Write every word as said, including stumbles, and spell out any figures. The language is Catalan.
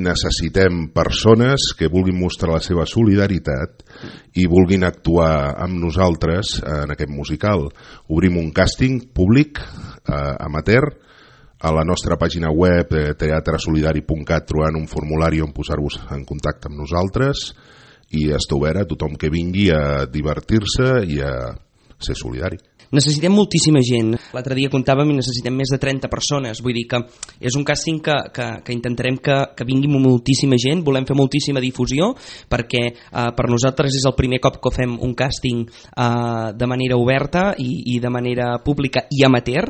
Necessitem persones que vulguin mostrar la seva solidaritat i vulguin actuar amb nosaltres en aquest musical. Obrim un càsting públic, eh, amateur, a la nostra pàgina web eh, teatre solidari punt cat trobant un formulari on posar-vos en contacte amb nosaltres i està obert a tothom que vingui a divertir-se i a ser solidari. Necessitem moltíssima gent. L'altre dia comptàvem i necessitem més de trenta persones. Vull dir que és un càsting que, que, que intentarem que, que vingui moltíssima gent. Volem fer moltíssima difusió perquè eh, per nosaltres és el primer cop que fem un càsting eh, de manera oberta i, i de manera pública i amateur.